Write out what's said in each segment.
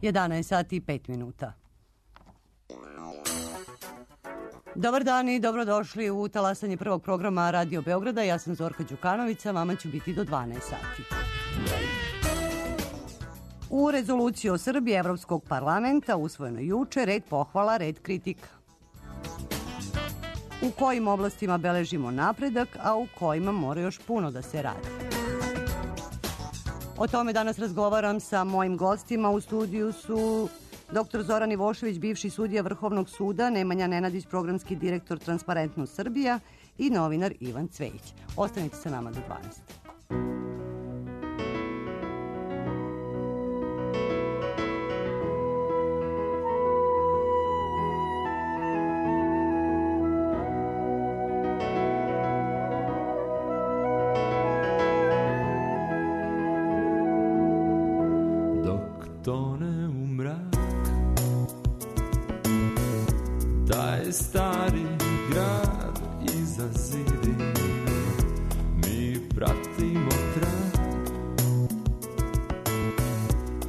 11 sati i 5 minuta. Dobar dan i dobrodošli u talasanje prvog programa Radio Beograda. Ja sam Zorka Đukanović, a vama ću biti do 12 sati. U rezoluciji o Srbiji Evropskog parlamenta usvojeno juče red pohvala, red kritika. U kojim oblastima beležimo napredak, a u kojima mora još puno da se radi. O tome danas razgovaram sa mojim gostima. U studiju su dr. Zoran Ivošević, bivši sudija Vrhovnog suda, Nemanja Nenadić, programski direktor Transparentnost Srbija i novinar Ivan Cvejić. Ostanite sa nama do 12. Tone u mrak taj stari grad iza zidine, mi pratimo trag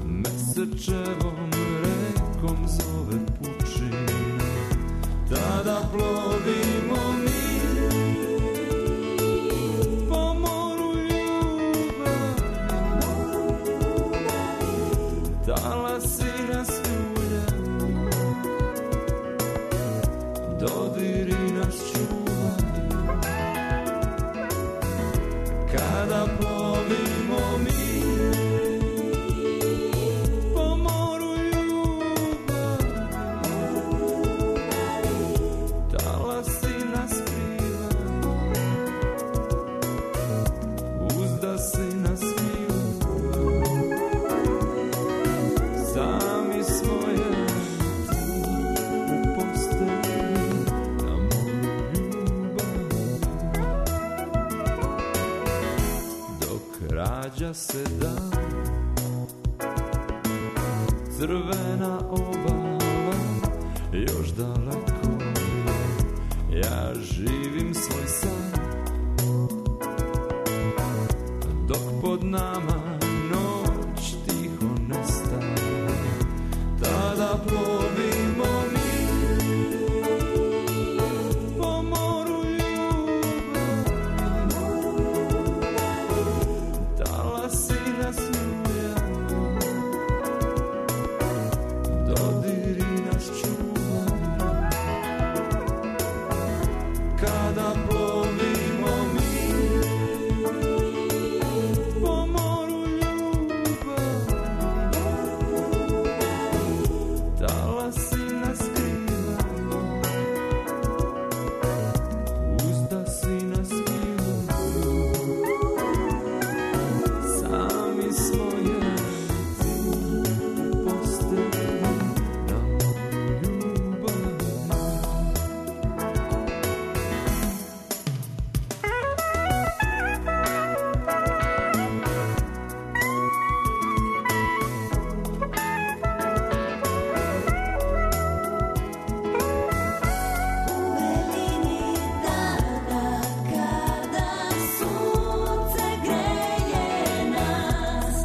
mesečevom rekom zove pučina, tada plovimo mi po moru ljubavi, talasi nas ljulja, dodiri nas čuvaju, kada plovimo mi po moru ljubavi, talasi nas skrivaju, uzdasi nas smiju, sami svoje u postelji na moju ljubav, dok rađa se dan, crvena obala još daleko je, ja živim svoj san, dok pod nama noć tiho nestaje, tada plovimo mi po moru ljubavi, talasi nas ljuja, dodiri nas čuvaju, kada plovimo mi po moru ljubavi, talasi nas skrivaju, uzdasi nas smiju, sami svoje u postelji na moju ljubav.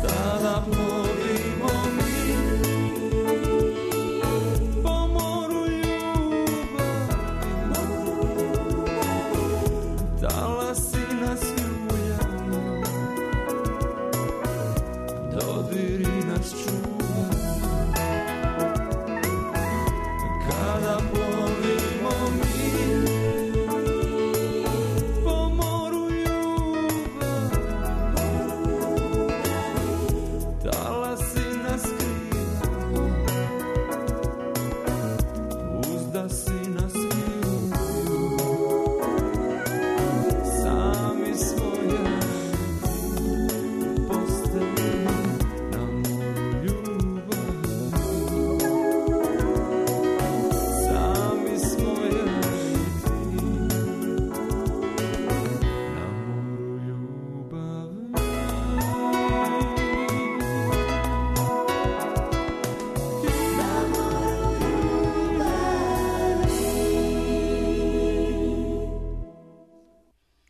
Tada plovimo mi po moru ljubavi, talasi nas ljulja, dodiri nas čuva, kada plovimo mi po moru ljubavi, talasi nas skrivaju, uzdasi nas smiju, sami svoje u postelji na moju ljubav, sami svoje na moju ljubav. Na moju ljubav.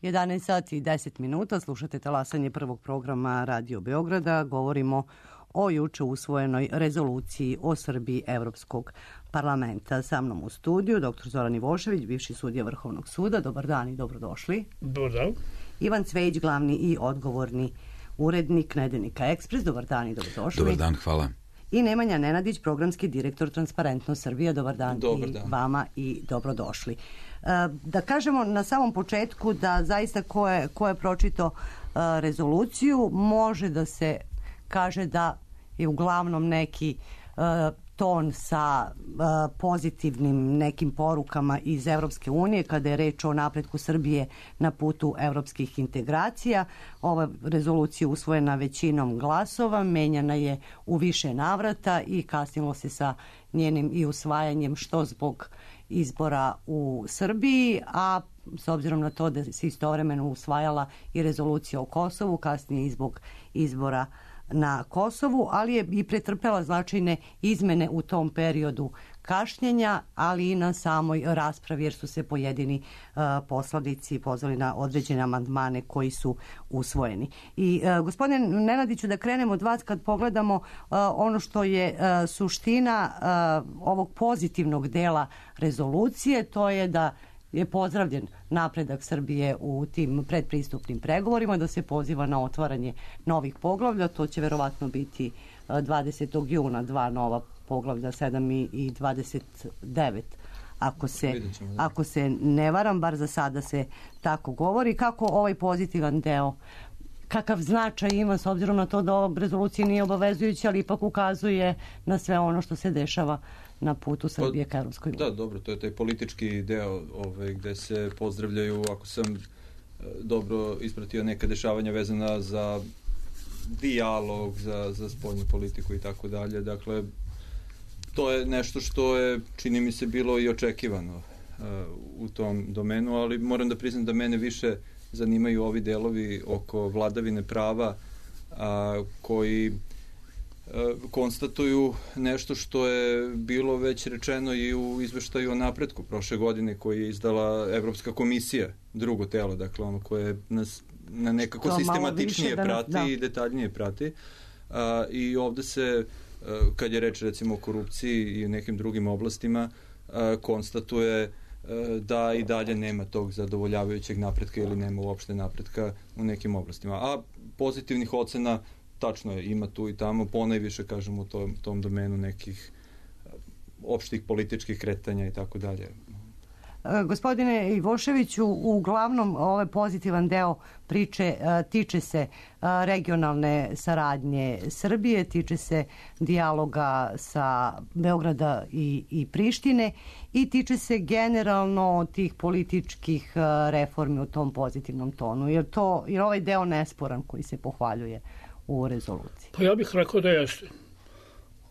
11 sati i 10 minuta, slušate talasanje prvog programa Radio Beograda. Govorimo o juče usvojenoj rezoluciji o Srbiji Evropskog parlamenta. Sa mnom u studiju dr. Zoran Ivošević, bivši sudija Vrhovnog suda. Dobar dan i dobrodošli. Dobar dan. Ivan Cvejić, glavni i odgovorni urednik Nedeljnika Ekspres. Dobar dan i dobrodošli. Dobar dan, hvala. I Nemanja Nenadić, programski direktor Transparentnost Srbija. Dobar dan, Dobar i dan. Vama i dobrodošli. Da kažemo na samom početku da zaista ko je pročitao rezoluciju može da se kaže da je uglavnom neki ton sa pozitivnim nekim porukama iz Evropske unije kada je reč o napretku Srbije na putu evropskih integracija. Ova rezolucija je usvojena većinom glasova, menjana je u više navrata i kasnilo se sa njenim i usvajanjem što zbog izbora u Srbiji, a s obzirom na to da se istovremeno usvajala i rezolucija o Kosovu, kasnije i zbog izbora na Kosovu, ali je i pretrpela značajne izmene u tom periodu kašnjenja, ali i na samoj raspravi jer su se pojedini poslanici pozvali na određene amandmane koji su usvojeni. I gospodine Nenadiću, da krenemo od vas kad pogledamo ono što je suština ovog pozitivnog dela rezolucije, to je da je pozdravljen napredak Srbije u tim predpristupnim pregovorima, da se poziva na otvaranje novih poglavlja. To će verovatno biti 20. juna, dva nova poglavlja, 7 i 29. Ako se ne varam, bar za sada se tako govori. Kako ovaj pozitivan deo, kakav značaj ima s obzirom na to da ova rezolucija nije obavezujuća, ali ipak ukazuje na sve ono što se dešava na putu Srbije ka Evropskoj uniji. Da, dobro, to je taj politički deo gde se pozdravljaju, ako sam dobro ispratio, neka dešavanja vezana za dijalog, za spoljnu politiku i tako dalje. Dakle, to je nešto što je, čini mi se, bilo i očekivano u tom domenu, ali moram da priznam da mene više zanimaju ovi delovi oko vladavine prava koji konstatuju nešto što je bilo već rečeno i u izveštaju o napretku prošle godine koji je izdala Evropska komisija, drugo telo, dakle ono koje nas na nekako sistematičnije prati i detaljnije prati. I ovde se, kad je reč recimo o korupciji i nekim drugim oblastima, konstatuje da i dalje nema tog zadovoljavajućeg napretka ili nema uopšte napretka u nekim oblastima. A pozitivnih ocena, tačno je, ima tu i tamo, ponajviše, kažem, u tom domenu nekih opštih političkih kretanja i tako dalje. Gospodine Ivoševiću, uglavnom ovaj pozitivan deo priče tiče se regionalne saradnje Srbije, tiče se dijaloga sa Beograda i Prištine i tiče se generalno tih političkih reformi u tom pozitivnom tonu. Je ovaj deo nesporan koji se pohvaljuje u rezoluciji? Pa ja bih rekao da jeste.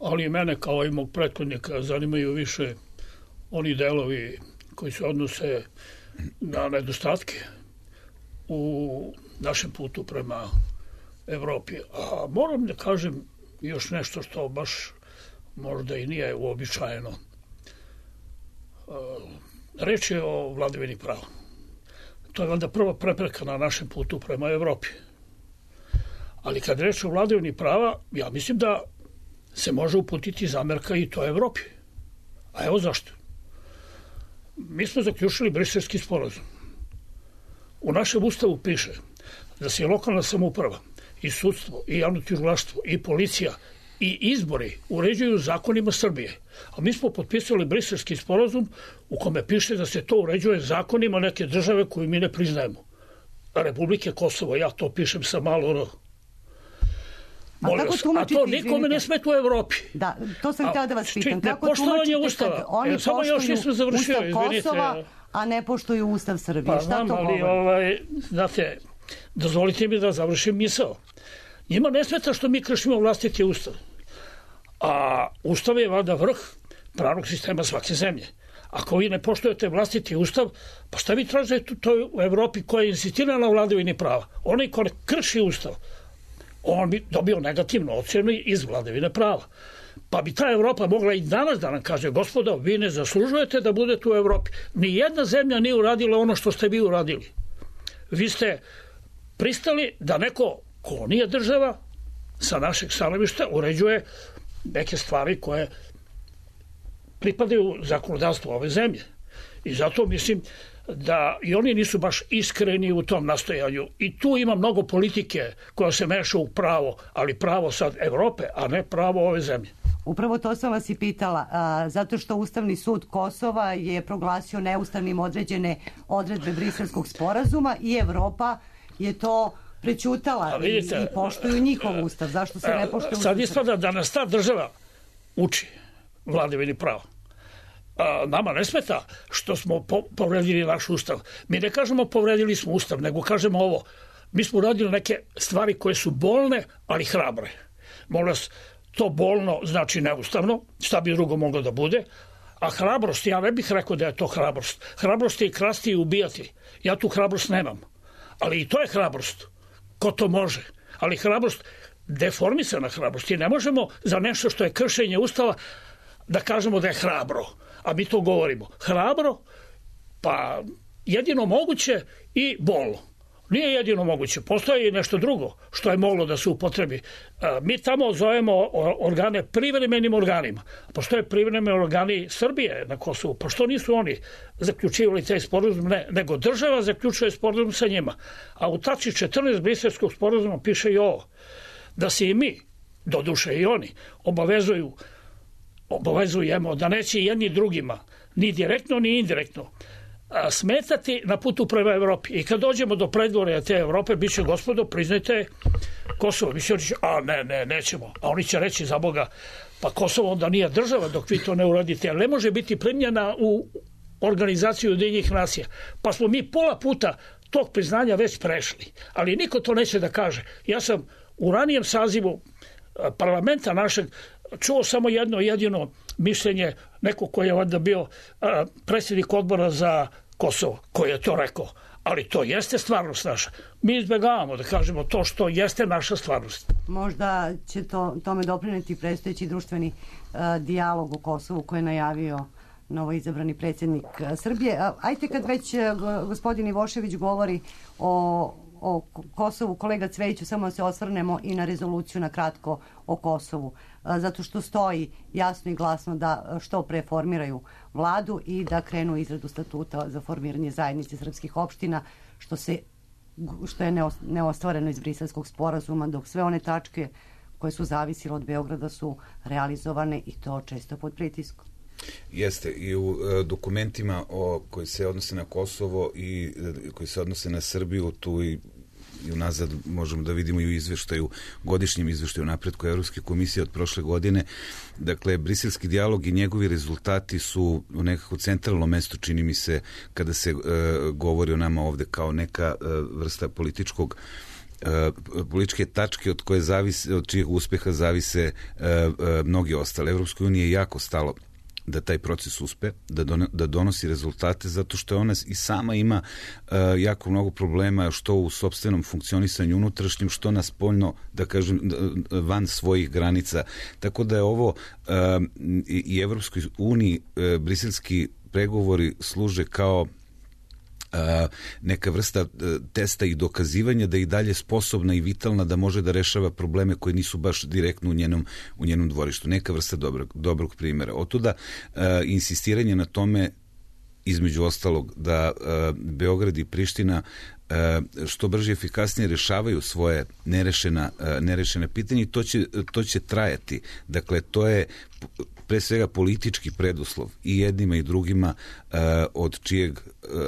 Ali mene kao i mog prethodnika zanimaju više oni delovi koji se odnose na nedostatke u našem putu prema Evropi. A moram da kažem još nešto što baš možda i nije uobičajeno. Reč je o vladavini prava. To je valjda prva prepreka na našem putu prema Evropi. Ali kad reč o vladavini prava, ja mislim da se može uputiti zamerka i to Evropi. A evo zašto. Mi smo zaključili Briselski sporazum. U našem ustavu piše da se lokalna samouprava i sudstvo i javno tužilaštvo i policija i izbori uređuju zakonima Srbije. A mi smo potpisali Briselski sporazum u kome piše da se to uređuje zakonima neke države koju mi ne priznajemo. Republike Kosovo, ja to pišem sa malo R. A to nikome ne smeta u Evropi. Da, to sam htjela da vas pitam. Kako tumačite kad oni poštuju Ustav Kosova, a ne poštuju Ustav Srbije? Pa znam, ali, znate, dozvolite mi da završim misao. Njima ne smeta što mi kršimo vlastiti Ustav. A Ustav je valjda vrh pravnog sistema svake zemlje. Ako vi ne poštujete vlastiti Ustav, pa šta vi tražite u Evropi koja je insistirana na vladavini prava? Onaj ko krši Ustav, on bi dobio negativnu ocjenu iz vladavine prava. Pa bi ta Evropa mogla i danas da nam kaže, gospodo, vi ne zaslužujete da budete u Evropi. Nijedna zemlja nije uradila ono što ste vi uradili. Vi ste pristali da neko ko nije država sa našeg stanovišta uređuje neke stvari koje pripadaju zakonodavstvu ove zemlje. I zato mislim da i oni nisu baš iskreni u tom nastojanju. I tu ima mnogo politike koja se meša u pravo, ali pravo sad Evrope, a ne pravo ove zemlje. Upravo to sam vas i pitala, zato što Ustavni sud Kosova je proglasio neustavnim određene odredbe Briselskog sporazuma i Evropa je to prećutala i poštuju njihov ustav. Zašto se ne poštuje ustav? Sad ispada da nas ta država uči vladavini prava. Nama ne smeta što smo povredili naš ustav. Mi ne kažemo povredili smo ustav, nego kažemo ovo. Mi smo uradili neke stvari koje su bolne, ali hrabre. Molim vas, to bolno znači neustavno, šta bi drugo moglo da bude, a hrabrost, ja ne bih rekao da je to hrabrost. Hrabrost je i krasti i ubijati. Ja tu hrabrost nemam. Ali i to je hrabrost. Ko to može? Ali hrabrost, deformisana hrabrost. I ne možemo za nešto što je kršenje ustava da kažemo da je hrabro. A mi to govorimo. Hrabro, pa jedino moguće i bolno. Nije jedino moguće. Postoji i nešto drugo što je moglo da se upotrebi. Mi tamo zovemo organe privremenim organima. Postoje privremeni organi Srbije na Kosovu. Pa što nisu oni zaključivali taj sporazum? Ne, nego država zaključuje sporazum sa njima. A u tački 14 Briselskog sporazuma piše i ovo. Da se i mi, doduše i oni, obavezujemo da neće jedni drugima, ni direktno ni indirektno, smetati na putu prema Evropi. I kad dođemo do predvorja te Evrope, bit će gospodo, priznajte Kosovo. Mi će reći, nećemo. A oni će reći, za Boga, pa Kosovo onda nije država dok vi to ne uradite. Ali ne može biti primljena u organizaciju Ujedinjenih nacija. Pa smo mi pola puta tog priznanja već prešli. Ali niko to neće da kaže. Ja sam u ranijem sazivu parlamenta našeg čuo samo jedno jedino mišljenje, neko koji je onda bio predsjednik odbora za Kosovo, koji je to rekao. Ali to jeste stvarnost naša. Mi izbjegavamo da kažemo to što jeste naša stvarnost. Možda će tome doprineti predstojeći društveni dijalog u Kosovu koji je najavio novoizabrani predsjednik Srbije. Ajte kad već gospodin Ivošević govori o Kosovu, kolega Cvejiću, samo da se osvrnemo i na rezoluciju na kratko o Kosovu, zato što stoji jasno i glasno da što pre formiraju vladu i da krenu izradu statuta za formiranje zajednice srpskih opština, što je neostvareno iz Briselskog sporazuma, dok sve one tačke koje su zavisile od Beograda su realizovane i to često pod pritiskom. Jeste, i u dokumentima koji se odnose na Kosovo i koji se odnose na Srbiju, tu i unazad možemo da vidimo i u izveštaju, godišnjem izveštaju napretku Evropske komisije od prošle godine. Dakle, briselski dijalog i njegovi rezultati su u nekako centralnom mestu, čini mi se, kada se govori o nama ovde kao neka vrsta političke tačke od čijeg uspeha zavise mnogi ostale. Evropskoj uniji je jako stalo da taj proces uspe, da donosi rezultate, zato što ona i sama ima jako mnogo problema, što u sopstvenom funkcionisanju unutrašnjem, što na spoljno, da kažem, van svojih granica. Tako da je ovo i Evropskoj uniji briselski pregovori služe kao neka vrsta testa i dokazivanja da je i dalje sposobna i vitalna da može da rešava probleme koji nisu baš direktno u njenom dvorištu. Neka vrsta dobrog primjera. Otuda insistiranje na tome, između ostalog, da Beograd i Priština što brže i efikasnije rešavaju svoje nerešene pitanje i to će trajati. Dakle, to je pre svega politički preduslov i jednima i drugima, od čijeg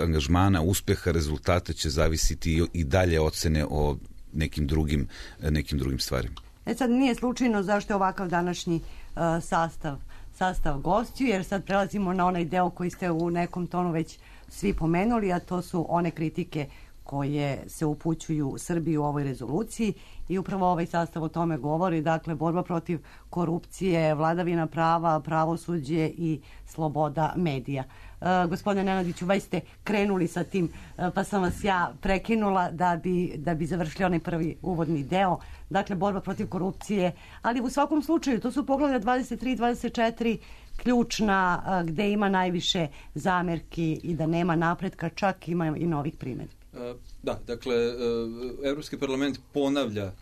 angažmana, uspeha, rezultata će zavisiti i dalje ocene o nekim drugim stvarima. Sad nije slučajno zašto je ovakav današnji sastav gostiju, jer sad prelazimo na onaj deo koji ste u nekom tonu već svi pomenuli, a to su one kritike koje se upućuju Srbiji u ovoj rezoluciji i upravo ovaj sastav o tome govori, dakle borba protiv korupcije, vladavina prava, pravosuđe i sloboda medija. Gospodine Nenadiću, već ste krenuli sa tim, pa sam vas ja prekinula da bi završili onaj prvi uvodni deo. Dakle, borba protiv korupcije, ali u svakom slučaju to su poglavlja 23 i 24 ključna, gde ima najviše zamerki i da nema napretka, čak ima i novih primjedbi. Da, dakle, Evropski parlament ponavlja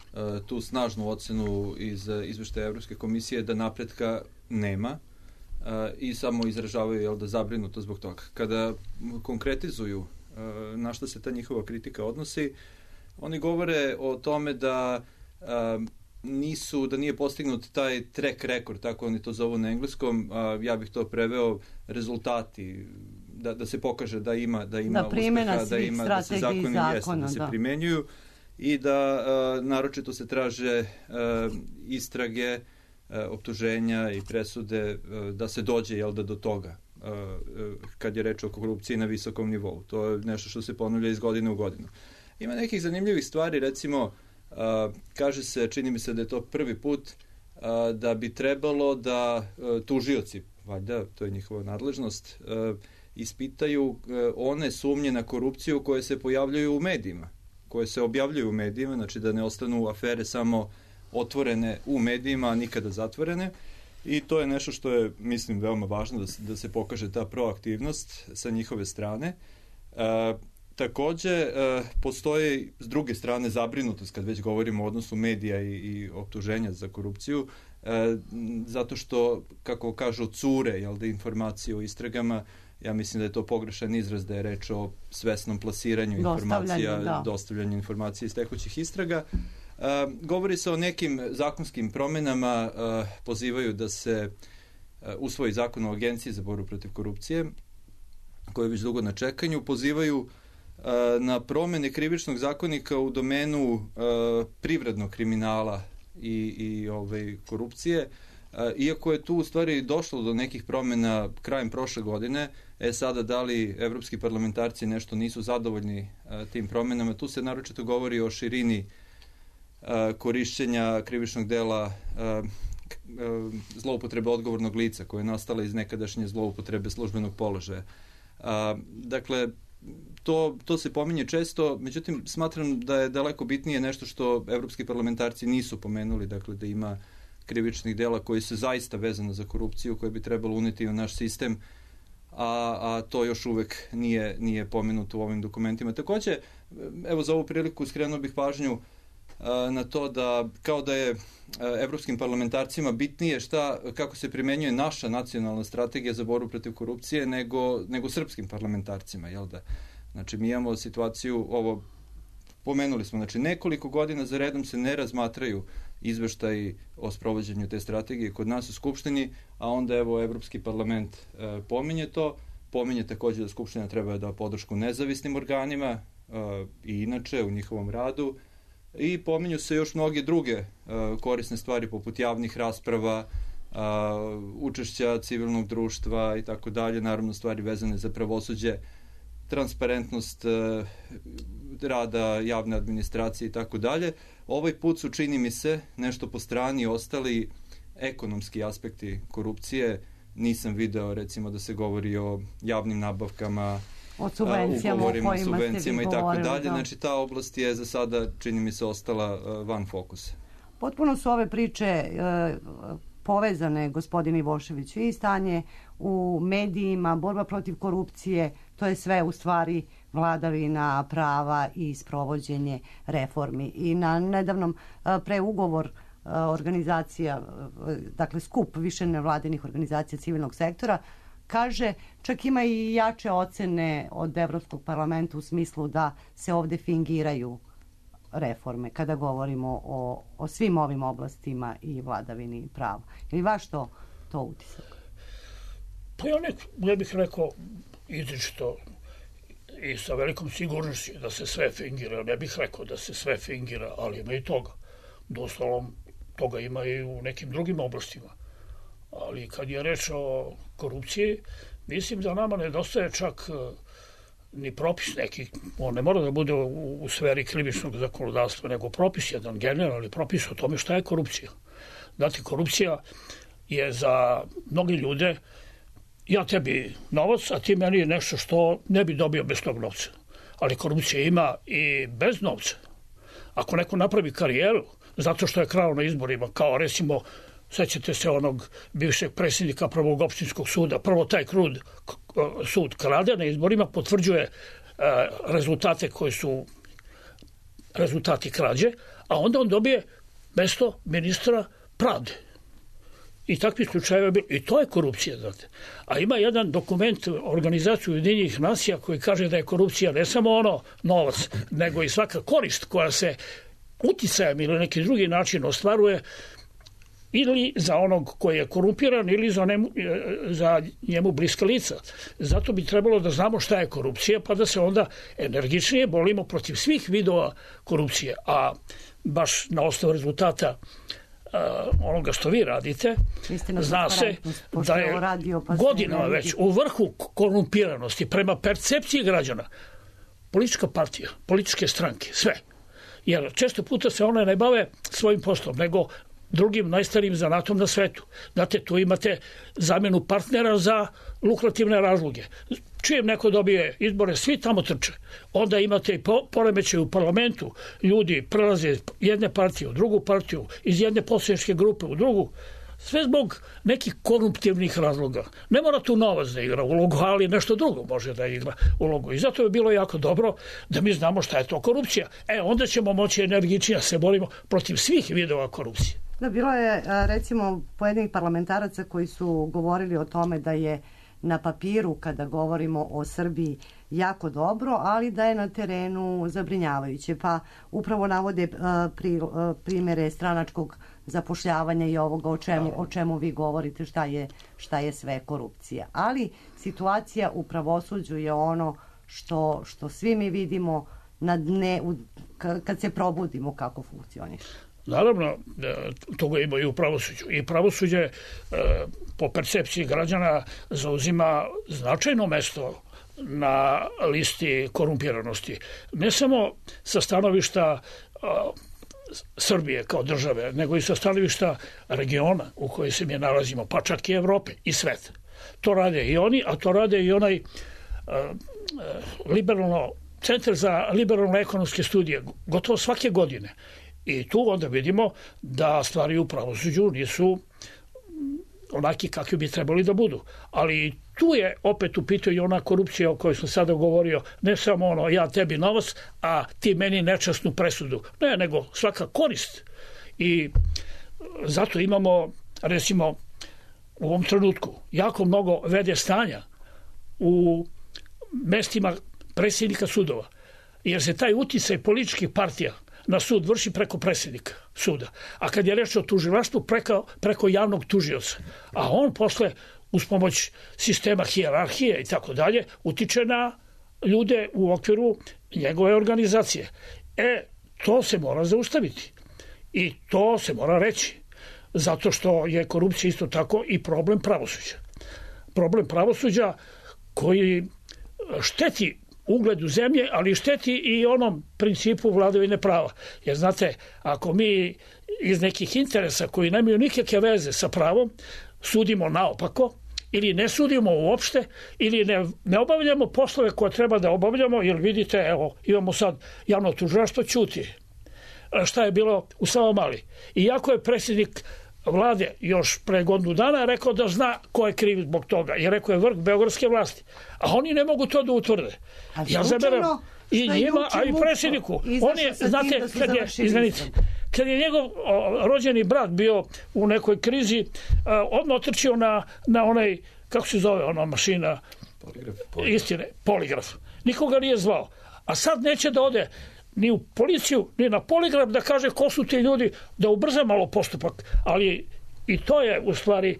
tu snažnu ocenu iz izveštaja Evropske komisije da napretka nema i samo izražavaju da zabrinuto zbog toga. Kada konkretizuju na što se ta njihova kritika odnosi, oni govore o tome da nije postignut taj track record, tako oni to zovu na engleskom, ja bih to preveo rezultati, da se pokaže da ima uspeha, da se zakoni da se primenjuju i da naročito se traže istrage, optuženja i presude da se dođe do toga kad je reč o korupciji na visokom nivou. To je nešto što se ponavlja iz godine u godinu. Ima nekih zanimljivih stvari, recimo kaže se, čini mi se da je to prvi put da bi trebalo da tužioci, valjda, to je njihova nadležnost, ispitaju one sumnje na korupciju koje se pojavljaju u medijima, koje se objavljuju u medijima, znači da ne ostanu afere samo otvorene u medijima, a nikada zatvorene. I to je nešto što je, mislim, veoma važno da se pokaže ta proaktivnost sa njihove strane. Takođe, postoji s druge strane zabrinutost kad već govorimo o odnosu medija i optuženja za korupciju, zato što, kako kažu, cure informacije o istragama. Ja mislim da je to pogrešan izraz, da je reč o svesnom plasiranju informacija, dostavljanju informacija iz tekućih istraga. Govori se o nekim zakonskim promenama, pozivaju da se usvoji zakon o Agenciji za borbu protiv korupcije, koji je već dugo na čekanju, pozivaju na promene krivičnog zakonika u domenu privrednog kriminala i korupcije, iako je tu u stvari došlo do nekih promena krajem prošle godine. Sada da li evropski parlamentarci nešto nisu zadovoljni tim promenama, tu se naročito govori o širini korišćenja krivičnog dela zloupotrebe odgovornog lica, koja je nastala iz nekadašnje zloupotrebe službenog položaja. Dakle, to se pominje često, međutim smatram da je daleko bitnije nešto što evropski parlamentarci nisu pomenuli, dakle da ima krivičnih dela koji su zaista vezane za korupciju, koje bi trebalo uneti u naš sistem, a to još uvek nije pomenuto u ovim dokumentima. Takođe, evo za ovu priliku skrenuo bih pažnju na to da kao da je evropskim parlamentarcima bitnije kako se primenjuje naša nacionalna strategija za borbu protiv korupcije nego srpskim parlamentarcima, jel da? Znači, mi imamo situaciju, ovo pomenuli smo, znači nekoliko godina za redom se ne razmatraju izveštaji o sprovođenju te strategije kod nas u Skupštini, a onda evo Evropski parlament pominje takođe da Skupština treba da podršku nezavisnim organima i inače u njihovom radu, i pominju se još mnoge druge korisne stvari poput javnih rasprava, učešća civilnog društva i tako dalje, naravno stvari vezane za pravosuđe, transparentnost rada javne administracije i tako dalje. Ovaj put su, čini mi se, nešto po strani ostali ekonomski aspekti korupcije. Nisam video, recimo, da se govori o javnim nabavkama, o subvencijama, subvencijama i tako dalje. Znači, ta oblast je za sada, čini mi se, ostala van fokusa. Potpuno su ove priče povezane, gospodin Ivošević, i stanje u medijima, borba protiv korupcije, to je sve u stvari vladavina prava i sprovođenje reformi. I na nedavnom preugovor organizacija, dakle skup više nevladinih organizacija civilnog sektora, kaže, čak ima i jače ocene od Evropskog parlamenta u smislu da se ovde fingiraju reforme kada govorimo o svim ovim oblastima i vladavini prava. Ili vaš to utisak? Pa ja ne bih rekao izričito i sa velikom sigurnošću da se sve fingira. Ne bih rekao da se sve fingira, ali ima i toga. Doslovno toga ima i u nekim drugim oblastima. Ali kad je reč o korupciji, mislim da nama nedostaje čak ni propis neki, on ne mora da bude u sferi krivičnog zakonodavstva, nego propis, jedan generalni propis o tome šta je korupcija. Znate, korupcija je za mnogi ljude, ja tebi novac, a ti meni nešto što ne bi dobio bez tog novca. Ali korupcija ima i bez novca. Ako neko napravi karijeru zato što je krao na izborima, kao recimo, sećate se onog bivšeg predsjednika Prvog opštinskog suda, prvo taj sud krade na izborima, potvrđuje rezultate koji su rezultati krađe, a onda on dobije mesto ministra pravde. I takvi slučajeva bilo. I to je korupcija, znate. A ima jedan dokument Organizacije Ujedinjenih nacija koji kaže da je korupcija ne samo ono novac, nego i svaka korist koja se uticajem ili neki drugi način ostvaruje ili za onog koji je korumpiran ili za njemu bliska lica. Zato bi trebalo da znamo šta je korupcija, pa da se onda energičnije borimo protiv svih vidova korupcije. A baš na osnovu rezultata onoga što vi radite, zna se da je godinama već u vrhu korumpiranosti prema percepciji građana politička partija, političke stranke, sve. Jer često puta se one ne bave svojim poslom, nego drugim najstarijim zanatom na svetu. Znate, tu imate zamjenu partnera za lukrativne razloge. Čijem neko dobije izbore, svi tamo trče. Onda imate i poremećaj u parlamentu. Ljudi prelaze jedne partije u drugu partiju, iz jedne poslaničke grupe u drugu. Sve zbog nekih koruptivnih razloga. Ne mora tu novac da igra ulogu, ali nešto drugo može da igra ulogu. I zato je bilo jako dobro da mi znamo šta je to korupcija. Onda ćemo moći energičnije se borimo protiv svih vidova korupcije. Da, bilo je, recimo, pojedinih parlamentaraca koji su govorili o tome da je na papiru, kada govorimo o Srbiji, jako dobro, ali da je na terenu zabrinjavajuće. Pa upravo navode primere stranačkog zapošljavanja i ovoga o čemu vi govorite, šta je sve korupcija. Ali situacija u pravosuđu je ono što svi mi vidimo kad se probudimo kako funkcioniše. Naravno, toga ima i u pravosuđu. I pravosuđe po percepciji građana zauzima značajno mesto na listi korumpiranosti. Ne samo sa stanovišta Srbije kao države, nego i sa stanovišta regiona u kojoj se mi nalazimo, pa čak i Evrope i sveta. To rade i oni, a to rade i onaj Centar za liberalno ekonomske studije, gotovo svake godine. I tu onda vidimo da stvari u pravosuđu nisu onaki kakvi bi trebali da budu. Ali tu je opet u pitanju ona korupcija o kojoj sam sada govorio, ne samo ono ja tebi novac, a ti meni nečasnu presudu. Ne, nego svaka korist. I zato imamo, recimo, u ovom trenutku jako mnogo vede stanja u mestima predsjednika sudova. Jer se taj uticaj političkih partija na sud vrši preko predsjednika suda. A kad je reč o tužilaštvu, preko javnog tužioca. A on posle, uz pomoć sistema hijerarhije i tako dalje, utiče na ljude u okviru njegove organizacije. To se mora zaustaviti. I to se mora reći. Zato što je korupcija isto tako i problem pravosuđa. Problem pravosuđa koji šteti ugledu zemlje, ali šteti i onom principu vladavine prava. Jer znate, ako mi iz nekih interesa koji nemaju nikakve veze sa pravom sudimo naopako ili ne sudimo uopšte ili ne obavljamo poslove koje treba da obavljamo, jer vidite, evo, imamo sad javno tužilaštvo, ćuti. Šta je bilo u Savamali? Iako je predsjednik vlade još pre godinu dana rekao da zna ko je kriv zbog toga. I rekao je vrh beogradske vlasti. A oni ne mogu to da utvrde. Ja zaberem i njima, a i predsjedniku. On je, znate, kad je njegov rođeni brat bio u nekoj krizi, odmah otrčio na onaj, kako se zove ona mašina? Poligraf. Nikoga nije zvao. A sad neće da ode ni u policiju, ni na poligraf da kaže ko su ti ljudi, da ubrza malo postupak. Ali i to je u stvari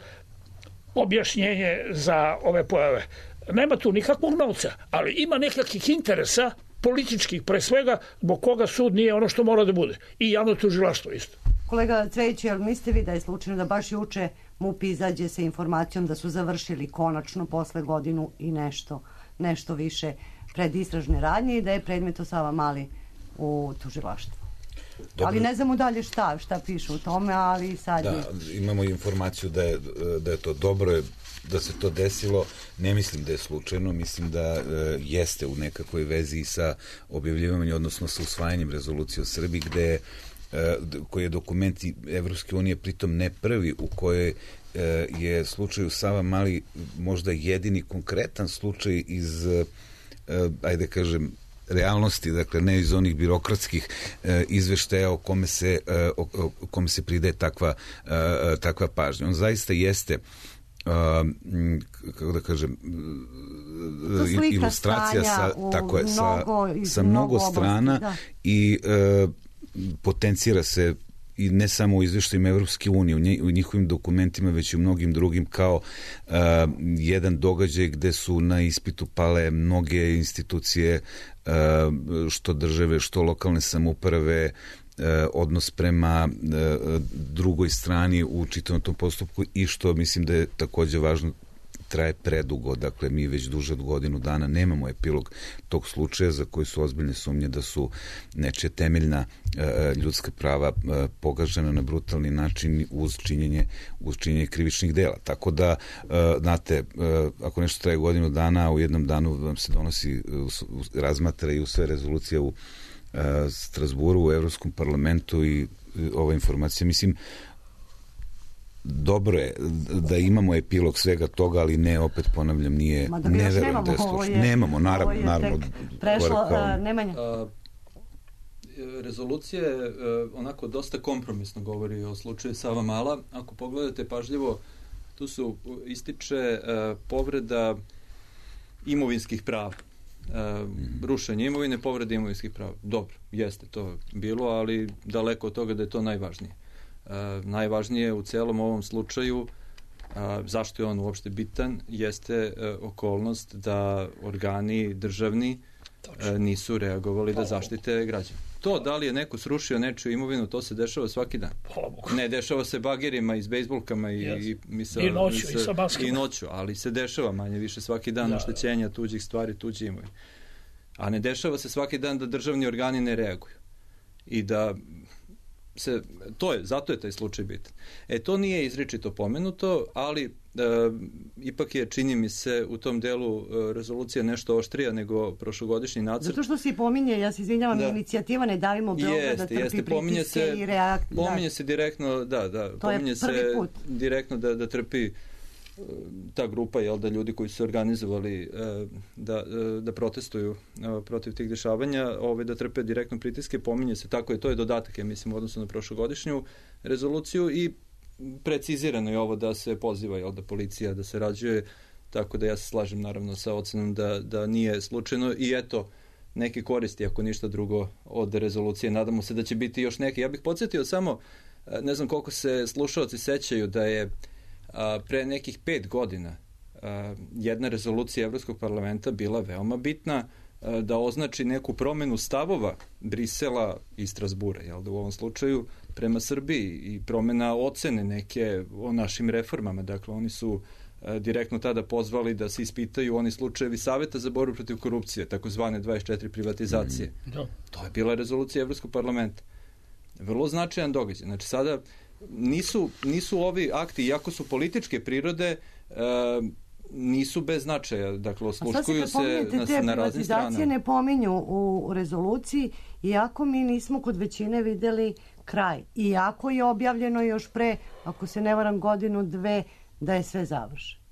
objašnjenje za ove pojave. Nema tu nikakvog novca, ali ima nekakvih interesa političkih, pre svega, zbog koga sud nije ono što mora da bude. I javno tužilaštvo isto. Kolega Cvejić, jel mislite vi da je slučajno da baš juče MUP izađe sa informacijom da su završili konačno posle godinu i nešto više predistražne radnje i da je predmet o Savamali u tužilaštvu? Dobro. Ali ne znamo dalje šta piše u tome, ali sad... Da, imamo informaciju da je to dobro, da se to desilo. Ne mislim da je slučajno, mislim da jeste u nekakvoj vezi sa objavljivanjem, odnosno sa usvajanjem rezolucije o Srbiji, koji je dokument Evropske unije, pritom ne prvi, u kojoj je slučaj u Savamali možda jedini konkretan slučaj iz, ajde kažem, realnosti, dakle ne iz onih birokratskih izveštaja o kome se pridaje takva pažnja. On zaista jeste kako da kažem, ilustracija sa mnogo strana i potencira se i ne samo u izveštajima Evropske unije, u njihovim dokumentima, već i u mnogim drugim kao jedan događaj gde su na ispitu pale mnoge institucije, što države, što lokalne samouprave, odnos prema drugoj strani u čitavom tom postupku i što mislim da je takođe važno, traje predugo, dakle mi već duže od godinu dana nemamo epilog tog slučaja za koji su ozbiljne sumnje da su nečija temeljna ljudska prava pogažena na brutalni način uz činjenje krivičnih dela. Tako da, znate, ako nešto traje godinu dana, u jednom danu vam se donosi, razmatra i usvaja rezolucija u Strasburu, u Evropskom parlamentu i ova informacija, mislim, dobro je da imamo epilog svega toga, ali ne, opet ponavljam, nije, ne verujem da je slučaj. Nemamo, naravno. Prešlo, Nemanja. Rezolucija je onako dosta kompromisno govori o slučaju Savamala. Ako pogledate pažljivo, tu su ističe povreda imovinskih prava. Rušenje imovine, povrede imovinskih prava. Dobro, jeste to bilo, ali daleko od toga da je to najvažnije. Najvažnije u celom ovom slučaju, zašto je on uopšte bitan, jeste okolnost da organi državni nisu reagovali da zaštite građane. To da li je neko srušio nečiju imovinu, to se dešava svaki dan. Ne dešava se bagerima i s bejsbolkama i noću, ali se dešava manje više svaki dan oštećenja tuđih stvari, tuđe imovine. A ne dešava se svaki dan da državni organi ne reaguju. I da zato je taj slučaj bitan. To nije izričito pomenuto, ali ipak je, čini mi se, u tom delu rezolucija nešto oštrija nego prošlogodišnji nacrt. Zato što se pominje, ja se izvinjavam, inicijativa Ne davimo Beograd da trpi pritiske i reakcije. Pominje se direktno, pominje se direktno da trpi ta grupa, da ljudi koji su organizovali da protestuju protiv tih dešavanja, da trpe direktno pritiske, pominje se tako i to je dodatak, ja mislim, u odnosu na prošlogodišnju rezoluciju i precizirano je ovo da se poziva da policija da se rađuje, tako da ja se slažem naravno sa ocenom da nije slučajno i eto neke koristi, ako ništa drugo, od rezolucije. Nadamo se da će biti još neke. Ja bih podsjetio samo, ne znam koliko se slušaoci sećaju da je pre nekih 5 godina jedna rezolucija Evropskog parlamenta bila veoma bitna da označi neku promenu stavova Brisela i Strasbura, u ovom slučaju prema Srbiji i promena ocene neke o našim reformama. Dakle, oni su direktno tada pozvali da se ispitaju oni slučajevi Saveta za borbu protiv korupcije, takozvane 24 privatizacije. To je bila rezolucija Evropskog parlamenta. Vrlo značajan događaj. Znači, sada nisu ovi akti, iako su političke prirode, nisu bez značaja. Dakle, osluškuju se na raznim stranama. Privatizacije ne pominju u rezoluciji, iako mi nismo kod većine videli kraj. Iako je objavljeno još pre, ako se ne varam, godinu, dve, da je sve završeno.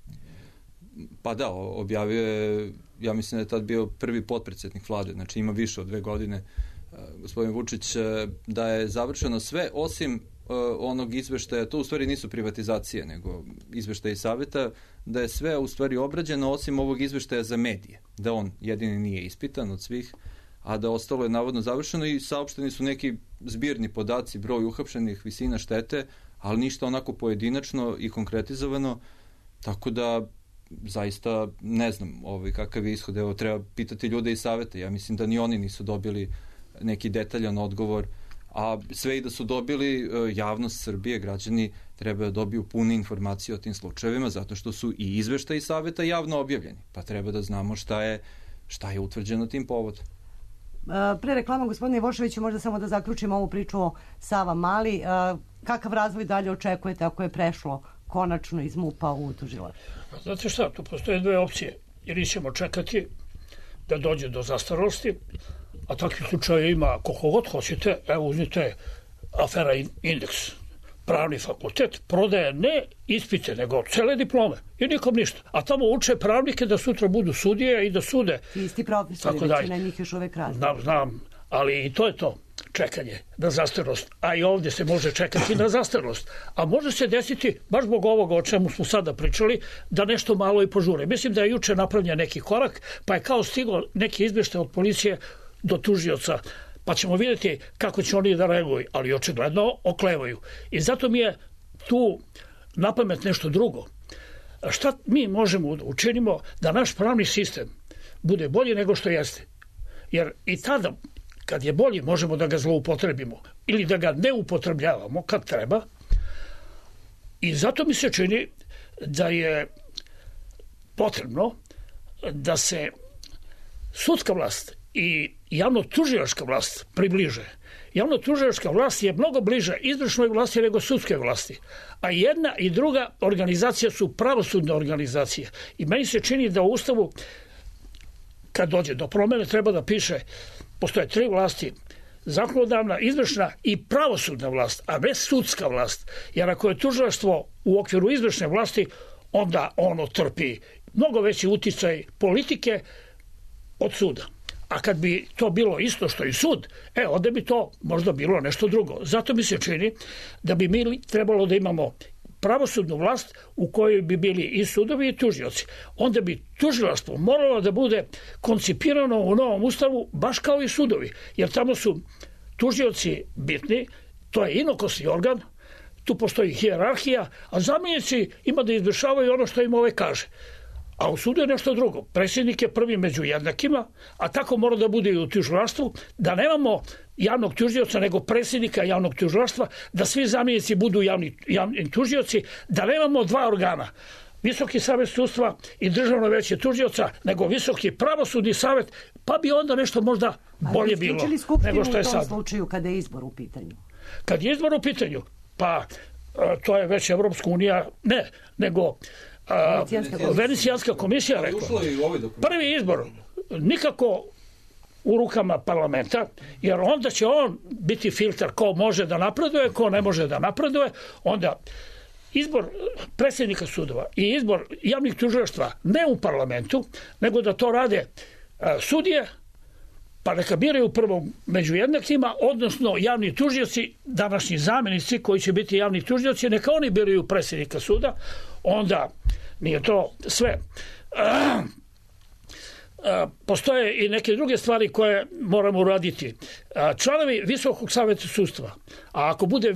Pa da, objavio je, ja mislim da je tad bio prvi potpredsjednik vlade, znači ima više od 2 godine, gospodin Vučić, da je završeno sve, osim onog izveštaja, to u stvari nisu privatizacije, nego izveštaje saveta, da je sve u stvari obrađeno osim ovog izveštaja za medije, da on jedini nije ispitan od svih, a da ostalo je navodno završeno i saopšteni su neki zbirni podaci, broj uhapšenih, visina štete, ali ništa onako pojedinačno i konkretizovano, tako da zaista ne znam kakav je ishod. Evo, treba pitati ljude iz saveta. Ja mislim da ni oni nisu dobili neki detaljan odgovor, a sve i da su dobili, javnost Srbije, građani treba da dobiju pune informacije o tim slučajevima, zato što su i izveštaji saveta javno objavljeni, pa treba da znamo šta je utvrđeno tim povodom. Pre reklama, gospodine Ivoševiću, možda samo da zaključimo ovu priču o Savamali. Kakav razvoj dalje očekujete ako je prešlo konačno iz MUP-a u tužilaštvo? Znate šta, tu postoje 2 opcije. Ili ćemo čekati da dođe do zastarosti, a takvih slučaja ima koliko god hoćete. Evo, uzmite afera Indeks. pravni fakultet prodaje ne ispite, nego cele diplome i nikom ništa. A tamo uče pravnike da sutra budu sudije i da sude. Isti profesori, većina njih još uvek radi. Znam, ali i to je to. Čekanje na zastarelost, a i ovdje se može čekati na zastarelost. A može se desiti, baš zbog ovoga o čemu smo sada pričali, da nešto malo i požure. Mislim da je juče napravljen neki korak, pa je kao stiglo neki izveštaj od policije do tužioca, pa ćemo vidjeti kako će oni da reaguju, ali očigledno oklevaju. I zato mi je tu napamet nešto drugo. Šta mi možemo da učinimo da naš pravni sistem bude bolji nego što jeste? Jer i tada, kad je bolji, možemo da ga zloupotrebimo ili da ga ne upotrebljavamo kad treba. I zato mi se čini da je potrebno da se sudska vlast i javno-tužilačka vlast približe. Javno-tužilačka vlast je mnogo bliža izvršnoj vlasti nego sudske vlasti. A jedna i druga organizacija su pravosudne organizacije. I meni se čini da u Ustavu, kad dođe do promene, treba da piše postoje 3 vlasti, zakonodavna, izvršna i pravosudna vlast, a ne sudska vlast. Jer ako je tužilaštvo u okviru izvršne vlasti, onda ono trpi mnogo veći uticaj politike od suda. A kad bi to bilo isto što i sud, onda bi to možda bilo nešto drugo. Zato mi se čini da bi mi trebalo da imamo pravosudnu vlast u kojoj bi bili i sudovi i tužioci. Onda bi tužilaštvo moralo da bude koncipirano u novom ustavu baš kao i sudovi. Jer tamo su tužioci bitni, to je inokosni organ, tu postoji hijerarhija, a zamjenici ima da izvršavaju ono što im kaže. A u sudu je nešto drugo. Predsjednik je prvi među jednakima, a tako mora da bude i u tužilaštvu, da nemamo javnog tužioca, nego predsjednika javnog tužilaštva, da svi zamjenici budu javni tužioci, da nemamo 2 organa, Visoki savet sudstva i Državno veće tužioca, nego Visoki pravosudni savet, pa bi onda nešto možda bolje bilo nego što je sad. U tom slučaju kada je izbor u pitanju? Kad je izbor u pitanju, pa to je već Evropska unija, nego Venecijanska komisija rekla. Prvi izbor nikako u rukama parlamenta, jer onda će on biti filter ko može da napreduje, ko ne može da napreduje. Onda izbor predsjednika sudova i izbor javnih tužilaštva ne u parlamentu, nego da to rade sudije, pa neka biraju prvo među jednakima, odnosno javni tužioci, današnji zamjenici koji će biti javni tužioci, neka oni biraju predsjednika suda. Onda nije to sve. Postoje i neke druge stvari koje moramo uraditi. Članovi Visokog saveta sudstva, a ako bude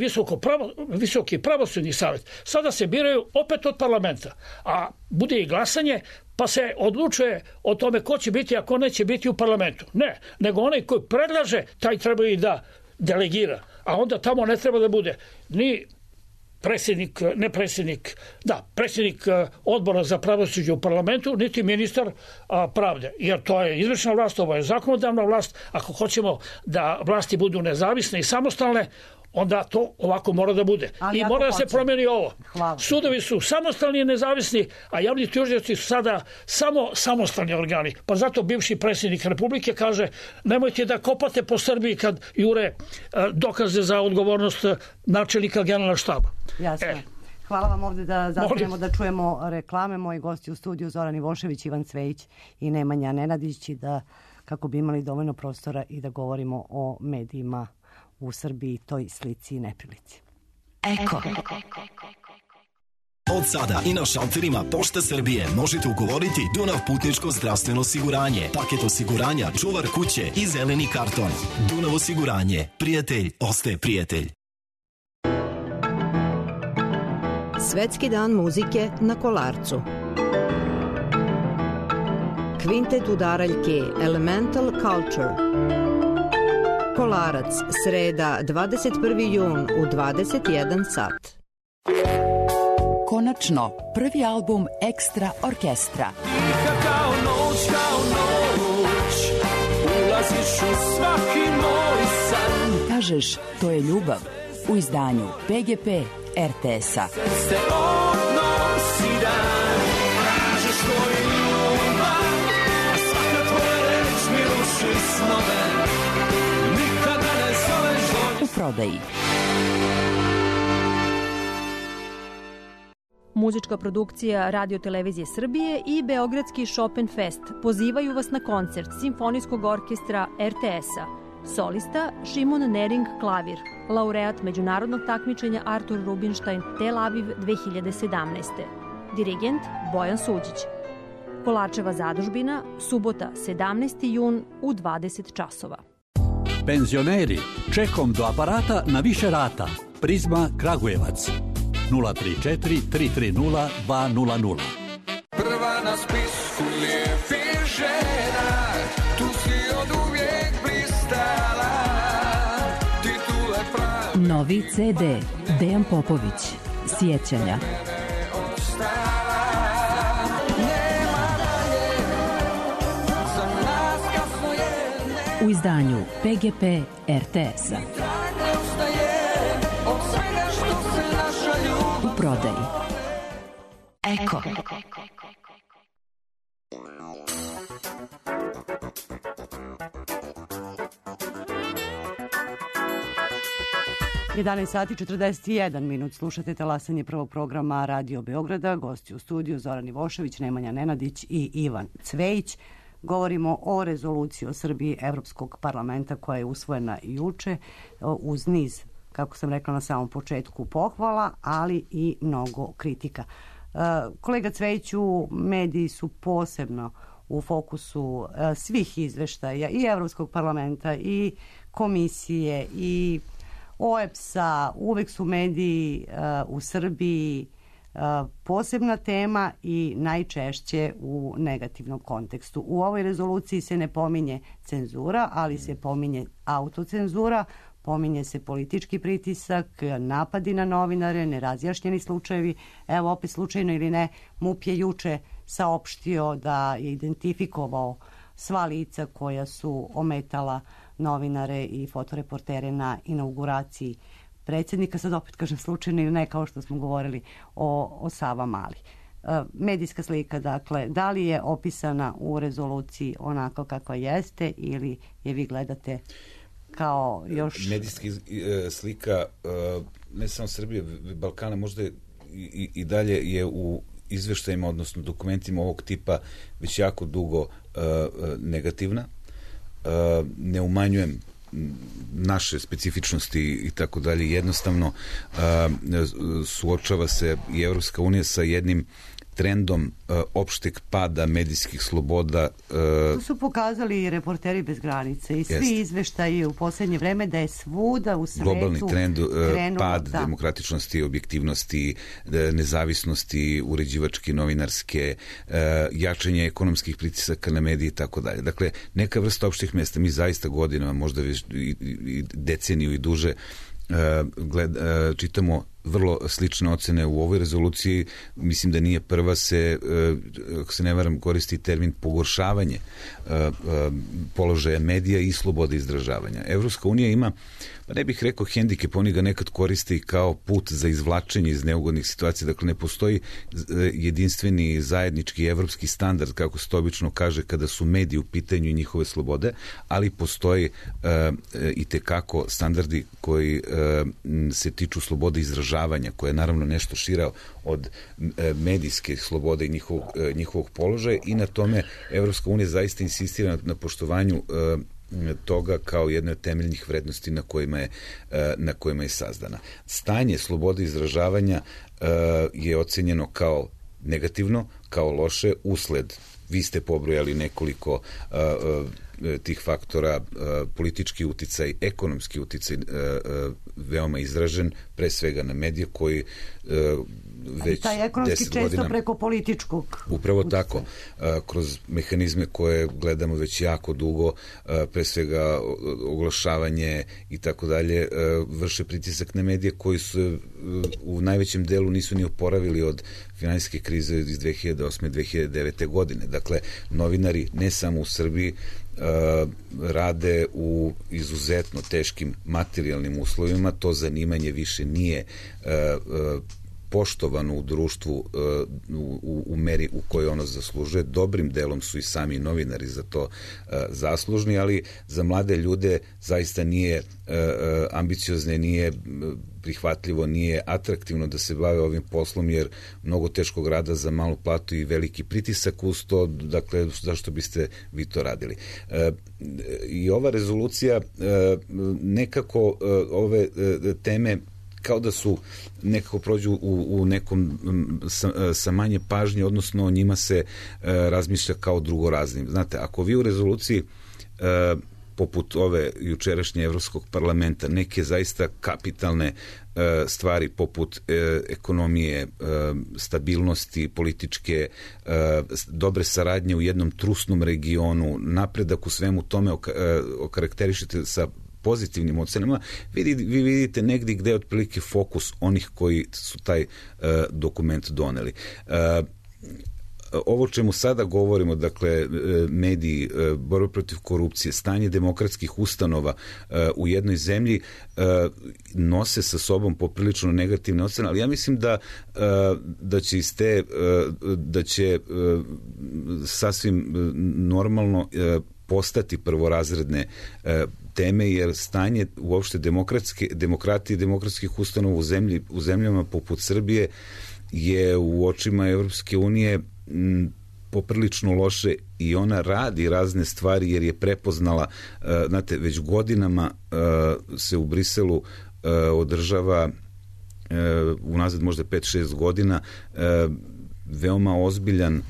Visoki pravosudni savet, sada se biraju opet od parlamenta, a bude i glasanje, pa se odlučuje o tome ko će biti, a ko neće biti u parlamentu. Ne, nego onaj koji predlaže, taj treba i da delegira. A onda tamo ne treba da bude ni predsjednik odbora za pravosuđe u parlamentu, niti ministar pravde. Jer to je izvršna vlast, ovo je zakonodavna vlast. Ako hoćemo da vlasti budu nezavisne i samostalne, onda to ovako mora da bude. I mora da se promijeni ovo. Hvala. Sudovi su samostalni i nezavisni, a javni tužioci su sada samo samostalni organi. Pa zato bivši predsjednik Republike kaže nemojte da kopate po Srbiji kad jure dokaze za odgovornost načelnika generalnog štaba. Jasno. Hvala vam ovdje da zastanemo da čujemo reklame. Moji gosti u studiju Zoran Ivošević, Ivan Cvejić i Nemanja Nenadić, da kako bi imali dovoljno prostora i da govorimo o medijima u Srbiji, toj slici i neprilici. Eko. Od sada i na šalterima Pošte Srbije možete ugovoriti Dunav putničko zdravstveno osiguranje, paket osiguranja, čuvar kuće i zeleni karton. Dunav osiguranje. Prijatelj ostaje prijatelj. Svetski dan muzike na Kolarcu. Kvintet udaraljke Elemental Culture. Kolarac, sreda, 21. jun u 21 sat. Konačno, prvi album Ekstra orkestra. Tiha kao noć, ulaziš u svaki moj san. Kažeš, to je ljubav, u izdanju PGP RTS-a. Se odnosi dan, kažeš to je ljubav, a svaka tvoja reč mi ruši snove. U prodaji. Muzička produkcija Radio-televizije Srbije i Beogradski Chopin Fest pozivaju vas na koncert Simfonijskog orkestra RTS-a. Solista Šimon Nering klavir, laureat međunarodnog takmičenja Artur Rubinstein Tel Aviv 2017. Dirigent Bojan Suđić. Kolarčeva zadužbina, subota 17. jun u 20 časova. Penzioneri, čekom do aparata na više rata. Prizma Kragujevac. 034 330 200. Prva na spisku lijepih žena, tu si od uvijek blistala, titule pravi. Novi CD Dejan Popović, Sjećanja. U izdanju PGP RTS-a. U prodaji. Eko. 11 sati 41 minut. Slušate talasanje prvog programa Radio Beograda. Gosti u studiju Zoran Ivošević, Nemanja Nenadić i Ivan Cvejić. Govorimo o rezoluciji o Srbiji Evropskog parlamenta koja je usvojena juče uz niz, kako sam rekla na samom početku, pohvala, ali i mnogo kritika. Kolega Cvejiću, mediji su posebno u fokusu svih izveštaja i Evropskog parlamenta i komisije i OEBS-a. Uvek su mediji u Srbiji posebna tema i najčešće u negativnom kontekstu. U ovoj rezoluciji se ne pominje cenzura, ali se pominje autocenzura, pominje se politički pritisak, napadi na novinare, nerazjašnjeni slučajevi. Evo, opet slučajno ili ne, MUP je juče saopštio da je identifikovao sva lica koja su ometala novinare i fotoreportere na inauguraciji predsjednika. Sad opet kažem slučajno ili ne, kao što smo govorili o Savamali. Medijska slika, dakle, da li je opisana u rezoluciji onako kakva jeste ili je vi gledate kao još... Medijska slika ne samo Srbije, Balkana, možda i dalje je u izveštajima, odnosno dokumentima ovog tipa već jako dugo negativna. Ne umanjujem naše specifičnosti i tako dalje. Jednostavno suočava se i Evropska unija sa jednim trendom opšteg pada medijskih sloboda. To su pokazali i Reporteri bez granice i svi izveštaji u poslednje vreme da je svuda u svetu globalni trend pad da. Demokratičnosti, objektivnosti, nezavisnosti, uređivačke, novinarske, jačanje ekonomskih pritisaka na medije i tako dalje. Dakle, neka vrsta opštih mesta. Mi zaista godinama, možda već i deceniju i duže, čitamo vrlo slične ocene u ovoj rezoluciji. Mislim da nije prva, ako se ne varam, koristi termin pogoršavanje položaja medija i slobode izražavanja. Evropska unija ima, pa ne bih rekao hendikep, oni ga nekad koriste i kao put za izvlačenje iz neugodnih situacija. Dakle, ne postoji jedinstveni zajednički evropski standard, kako se to obično kaže, kada su mediji u pitanju i njihove slobode, ali postoji i tekako standardi koji se tiču slobode izražavanja, koja je naravno nešto šira od medijske slobode i njihovog položaja, i na tome Evropska unija zaista insistira na poštovanju toga kao jedne od temeljnih vrednosti na kojima je sazdana. Stanje slobode izražavanja je ocenjeno kao negativno, kao loše, usled, vi ste pobrojali nekoliko tih faktora, politički uticaj, ekonomski uticaj veoma izražen, pre svega na medije koji već 10 godina... Taj ekonomski često preko političkog. Upravo tako, kroz mehanizme koje gledamo već jako dugo, pre svega oglašavanje i tako dalje, vrše pritisak na medije koji su u najvećem delu nisu ni oporavili od finansijske krize iz 2008-2009. godine. Dakle, novinari ne samo u Srbiji rade u izuzetno teškim materijalnim uslovima, to zanimanje više nije poštovano u društvu u meri u kojoj ono zaslužuje. Dobrim delom su i sami novinari za to zaslužni, ali za mlade ljude zaista nije ambiciozne, nije prihvatljivo, nije atraktivno da se bave ovim poslom, jer mnogo teškog rada za malu platu i veliki pritisak uz to, dakle, zašto biste vi to radili? I ova rezolucija nekako ove teme kao da su nekako prođu u nekom sa manje pažnje, odnosno o njima se razmišlja kao drugoraznim. Znate, ako vi u rezoluciji poput ove jučerašnje Evropskog parlamenta neke zaista kapitalne stvari poput ekonomije, stabilnosti političke, dobre saradnje u jednom trusnom regionu, napredak u svemu tome okarakterišete sa pozitivnim ocenama, vi vidite negdje gde je otprilike fokus onih koji su taj dokument doneli. Ovo čemu sada govorimo, dakle, mediji, borba protiv korupcije, stanje demokratskih ustanova u jednoj zemlji nose sa sobom poprilično negativne ocene, ali ja mislim da će iz te, da će sasvim normalno postati prvorazredne teme, jer stanje uopšte demokratije i demokratskih ustanova u zemljama poput Srbije je u očima Evropske unije poprilično loše i ona radi razne stvari jer je prepoznala, znate, već godinama se u Briselu održava unazad možda 5-6 godina veoma ozbiljan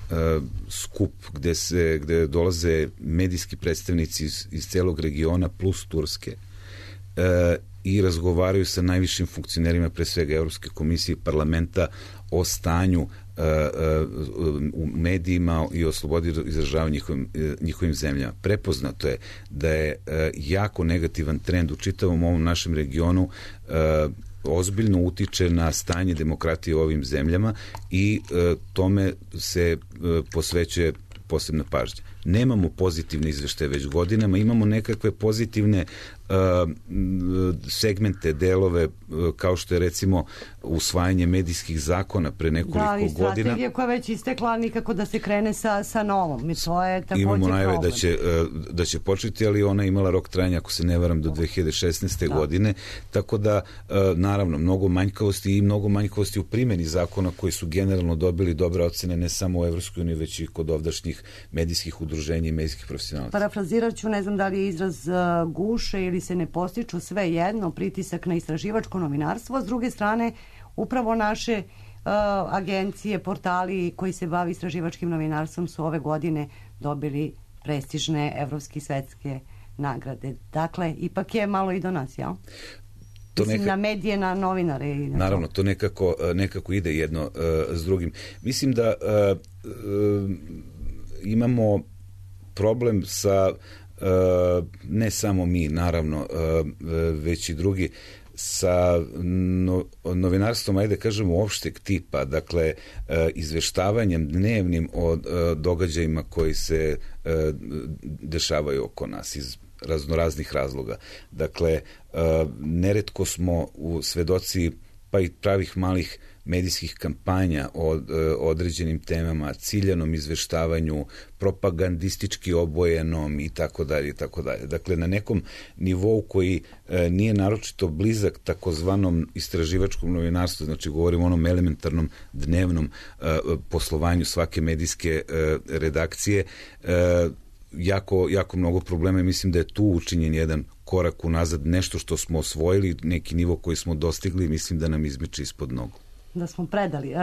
skup gde dolaze medijski predstavnici iz celog regiona plus Turske i razgovaraju sa najvišim funkcionerima, pre svega Evropske komisije i parlamenta, o stanju u medijima i o slobodi izražavanja njihovim zemljama. Prepoznato je da je jako negativan trend u čitavom ovom našem regionu, ozbiljno utiče na stanje demokratije u ovim zemljama i tome se posvećuje posebna pažnja. Nemamo pozitivne izveštaje već godinama, imamo nekakve pozitivne segmente, delove, kao što je recimo usvajanje medijskih zakona pre nekoliko godina. Da, i strategija koja već istekla, nikako da se krene sa novom. I to je također imamo najave problem. da će početi, ali ona imala rok trajanja, ako se ne varam, do 2016. godine. Tako da, naravno, mnogo manjkavosti u primjeni zakona koji su generalno dobili dobre ocene ne samo u Evropskoj uniji, već i kod ovdašnjih medijskih udruženja i medijskih profesionalaca. Parafrazirat ću, ne znam da li je izraz guše ili se ne postiču, sve jedno, pritisak na istraživačko novinarstvo. S druge strane, upravo naše agencije, portali koji se bavi istraživačkim novinarstvom su ove godine dobili prestižne evropske i svetske nagrade. Dakle, ipak je malo i do nas, jel? Mislim, na medije, na novinare. I naravno, to nekako ide jedno s drugim. Mislim da imamo problem sa ne samo mi, naravno, već i drugi, sa novinarstvom, ajde kažemo, opšteg tipa, dakle, izveštavanjem dnevnim o događajima koji se dešavaju oko nas iz raznoraznih razloga. Dakle, neretko smo u svedoci pa i pravih malih medijskih kampanja o određenim temama, ciljanom izveštavanju, propagandistički obojenom i tako dalje i tako dalje. Dakle, na nekom nivou koji nije naročito blizak takozvanom istraživačkom novinarstvu, znači govorimo o onom elementarnom dnevnom poslovanju svake medijske redakcije, jako mnogo problema i mislim da je tu učinjen jedan korak unazad, nešto što smo osvojili, neki nivo koji smo dostigli, mislim da nam izmiče ispod nogu. Da smo predali.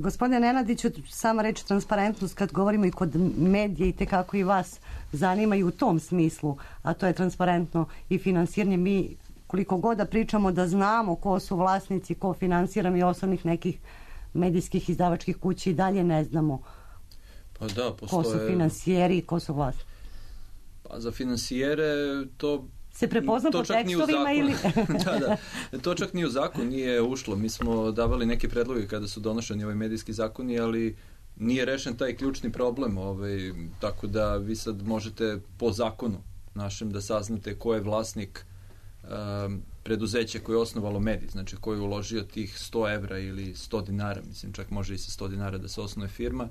Gospodine Nenadiću, sama reč transparentnost, kad govorimo i kod medija i tekako i vas zanimaju u tom smislu, a to je transparentno i finansiranje. Mi koliko god da pričamo da znamo ko su vlasnici, ko finansira, mi osnovnih nekih medijskih izdavačkih kuća i dalje ne znamo. Pa da, postoje... Ko su finansijeri i ko su vlasnici? Pa za finansijere to... Se prepozna po tekstovima ili... da, to čak ni u zakon nije ušlo. Mi smo davali neke predloge kada su donošeni ovaj medijski zakoni, ali nije rešen taj ključni problem. Tako da vi sad možete po zakonu našem da saznate ko je vlasnik preduzeće koje je osnovalo medij, znači koje je uložio tih 100 evra ili 100 dinara, mislim čak može i sa 100 dinara da se osnuje firma,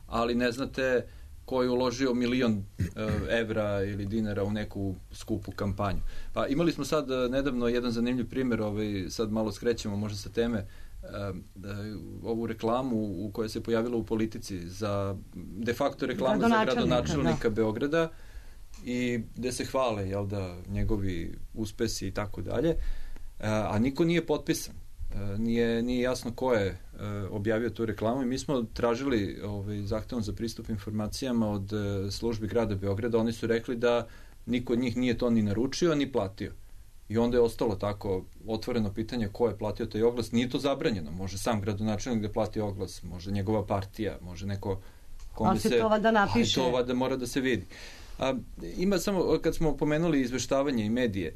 ali ne znate ko je uložio 1.000.000 evra ili dinara u neku skupu kampanju. Pa imali smo sad nedavno jedan zanimljiv primjer, sad malo skrećemo možda sa teme, ovu reklamu u kojoj se pojavila u Politici za de facto reklamu za gradonačelnika Beograda i gde se hvale njegovi uspesi i tako dalje, a niko nije potpisan. Nije jasno ko je objavio tu reklamu i mi smo tražili zahtevom za pristup informacijama od službi grada Beograda. Oni su rekli da niko od njih nije to ni naručio ni platio. I onda je ostalo tako otvoreno pitanje ko je platio taj oglas. Nije to zabranjeno. Može sam gradonačelnik da plati oglas, može njegova partija, može neko kome se to vada napiše. Ali to vada mora da se vidi. Ima samo, kad smo pomenuli izveštavanje i medije,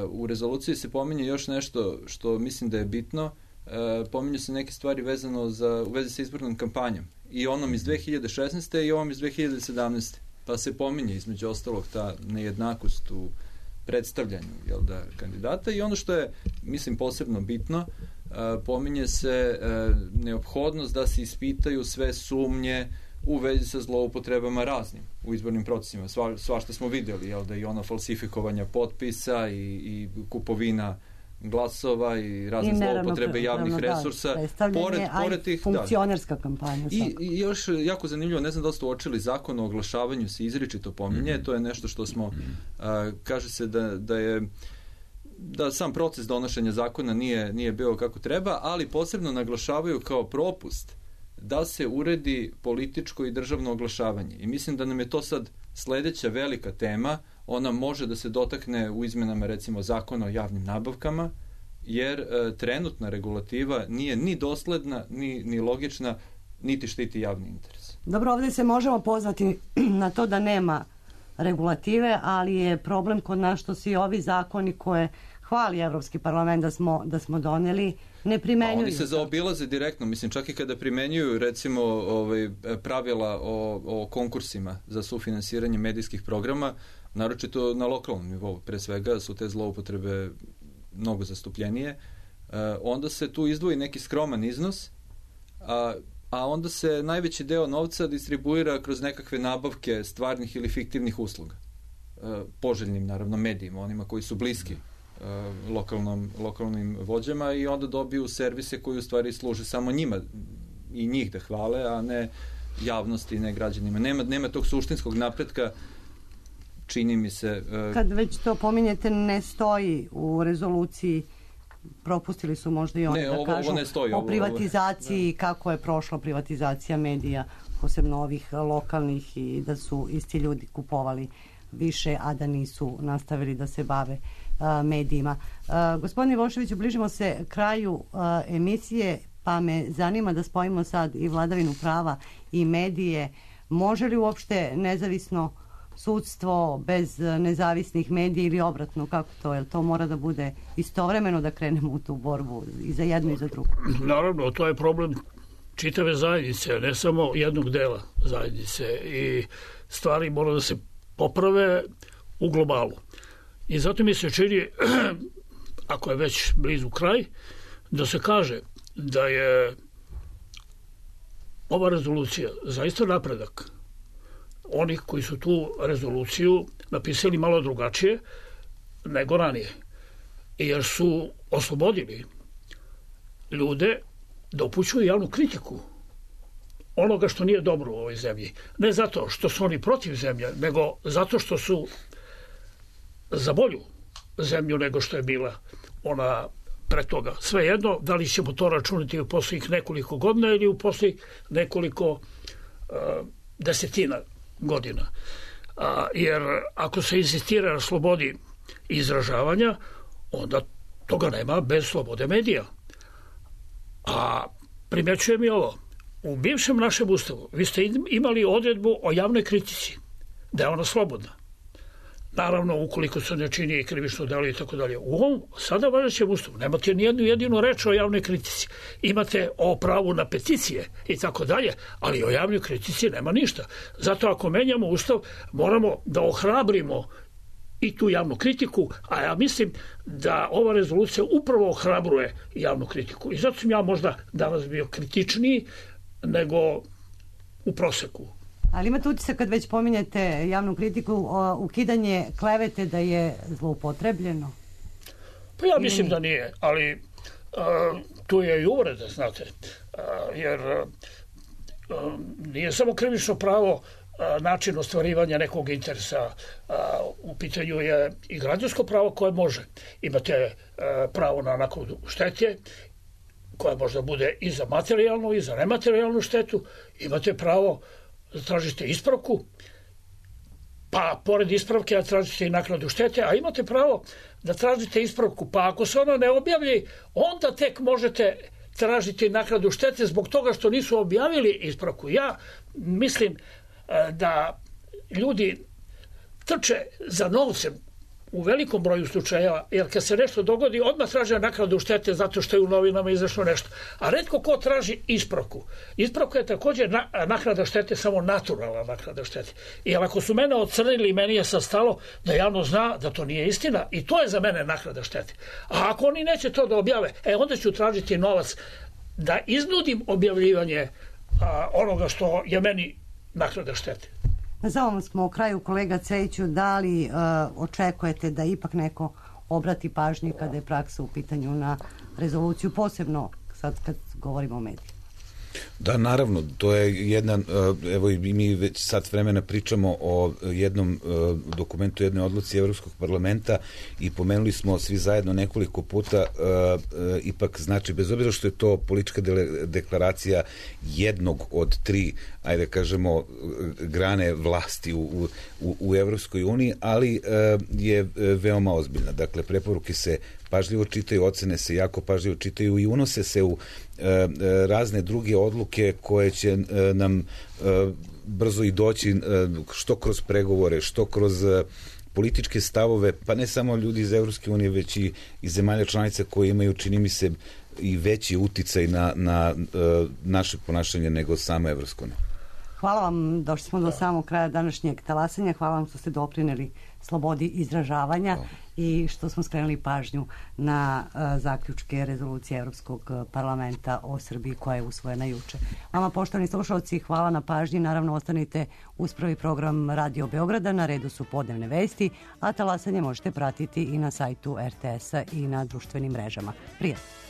u rezoluciji se pominje još nešto što mislim da je bitno. Pominju se neke stvari u vezi sa izbornom kampanjom. I onom iz 2016. i ovom iz 2017. Pa se pominje između ostalog ta nejednakost u predstavljanju kandidata i ono što je, mislim, posebno bitno, pominje se neophodnost da se ispitaju sve sumnje u vezi sa zloupotrebama raznim u izbornim procesima. Svašta smo vidjeli, i ono falsifikovanja potpisa i kupovina glasova i razne zloupotrebe javnih resursa. Pored tih, funkcionerska kampanja. I još jako zanimljivo, ne znam da ste uočili, Zakon o oglašavanju se izričito pominje, to je nešto što smo, kaže se da sam proces donošenja zakona nije bio kako treba, ali posebno naglašavaju kao propust da se uredi političko i državno oglašavanje. I mislim da nam je to sad sledeća velika tema. Ona može da se dotakne u izmenama, recimo, Zakona o javnim nabavkama, jer trenutna regulativa nije ni dosledna, ni logična, niti štiti javni interes. Dobro, ovdje se možemo pozvati na to da nema regulative, ali je problem kod nas što svi ovi zakoni koje hvali Evropski parlament da smo doneli, ne primenjuju. Oni se zaobilaze direktno, mislim, čak i kada primenjuju, recimo, pravila o konkursima za sufinansiranje medijskih programa, naročito na lokalnom nivou, pre svega su te zloupotrebe mnogo zastupljenije, onda se tu izdvoji neki skroman iznos, a onda se najveći deo novca distribuira kroz nekakve nabavke stvarnih ili usluga. Poželjnim, naravno, medijima, onima koji su bliski lokalnim vođama i onda dobiju servise koji u stvari služe samo njima i njih da hvale, a ne javnosti, ne građanima. Nema tog suštinskog napretka, čini mi se. Kad već to pominjete, ne stoji u rezoluciji, propustili su možda i oni da kažu o privatizaciji, kako je prošla privatizacija medija, posebno ovih lokalnih, i da su isti ljudi kupovali više, a da nisu nastavili da se bave medijima. Gospodine Ivoševiću, bližimo se kraju emisije, pa me zanima da spojimo sad i vladavinu prava i medije. Može li uopšte nezavisno sudstvo bez nezavisnih medija ili obratno, kako to? Jel to mora da bude istovremeno da krenemo u tu borbu i za jedno i za drugo? Naravno, to je problem čitave zajednice, ne samo jednog dela zajednice, i stvari mora da se poprave u globalu. I zato mi se čini, ako je već blizu kraj, da se kaže da je ova rezolucija zaista napredak onih koji su tu rezoluciju napisali malo drugačije nego ranije. Jer su oslobodili ljude da upućuju javnu kritiku onoga što nije dobro u ovoj zemlji. Ne zato što su oni protiv zemlje, nego zato što su za bolju zemlju nego što je bila ona pre toga. Svejedno, da li ćemo to računati u posljednjih nekoliko godina ili u posljednjih nekoliko desetina godina. Jer ako se insistira na slobodi izražavanja, onda toga nema bez slobode medija. A primjećujem i ovo. U bivšem našem ustavu vi ste imali odredbu o javnoj kritici, da je ona slobodna. Naravno, ukoliko se ne čini krivično delo i tako dalje. U ovom sada važećem ustavu nemate nijednu jedinu reč o javnoj kritici. Imate o pravu na peticije i tako dalje, ali o javnoj kritici nema ništa. Zato ako menjamo ustav, moramo da ohrabrimo i tu javnu kritiku, a ja mislim da ova rezolucija upravo ohrabruje javnu kritiku. I zato sam ja možda danas bio kritičniji nego u proseku. Ali imate utisak kad već pominjete javnu kritiku, ukidanje klevete da je zloupotrebljeno? Pa ja mislim da nije, ali tu je i uvreda, znate, jer nije samo krivično pravo način ostvarivanja nekog interesa, u pitanju je i građansko pravo koje može. Imate pravo na naknadu štete, koja možda bude i za materijalnu i za nematerijalnu štetu. Imate pravo da tražite ispravku, pa pored ispravke da tražite i naknadu štete, a imate pravo da tražite ispravku, pa ako se ona ne objavlji, onda tek možete tražiti naknadu štete zbog toga što nisu objavili ispravku. Ja mislim da ljudi trče za novcem u velikom broju slučajeva, jer kad se nešto dogodi, odmah traže naknadu štete zato što je u novinama izašlo nešto. A retko ko traži ispravku. Ispravka je također naknada štete, samo naturalna naknada štete. I ako su mene ocrnili, meni je sad stalo da javno zna da to nije istina i to je za mene naknada štete. A ako oni neće to da objave, onda ću tražiti novac da iznudim objavljivanje onoga što je meni naknada štete. Za ovom smo u kraju, kolega Cvejiću, da li očekujete da ipak neko obrati pažnju kada je praksa u pitanju na rezoluciju, posebno sad kad govorimo o medijima? Da, naravno, to je jedna, evo i mi već sat vremena pričamo o jednom dokumentu, jednoj odluci Evropskog parlamenta i pomenuli smo svi zajedno nekoliko puta, ipak znači, bez obzira što je to politička deklaracija jednog od tri, ajde kažemo, grane vlasti u Evropskoj uniji, ali je veoma ozbiljna. Dakle, preporuke se pažljivo čitaju, ocene se jako pažljivo čitaju i unose se u razne druge odluke koje će nam brzo i doći, što kroz pregovore, što kroz političke stavove, pa ne samo ljudi iz Evropske unije, već i iz zemalja članica koje imaju, čini mi se, i veći uticaj na naše ponašanje nego sama Evropska unija. Hvala vam, došli smo do samog kraja današnjeg talasanja. Hvala vam što ste doprineli slobodi izražavanja i što smo skrenuli pažnju na zaključke rezolucije Evropskog parlamenta o Srbiji koja je usvojena juče. Vama, poštovani slušalci, hvala na pažnji. Naravno, ostanite uz prvi program Radio Beograda. Na redu su podnevne vesti, a talasanje možete pratiti i na sajtu RTS-a i na društvenim mrežama. Prijatno!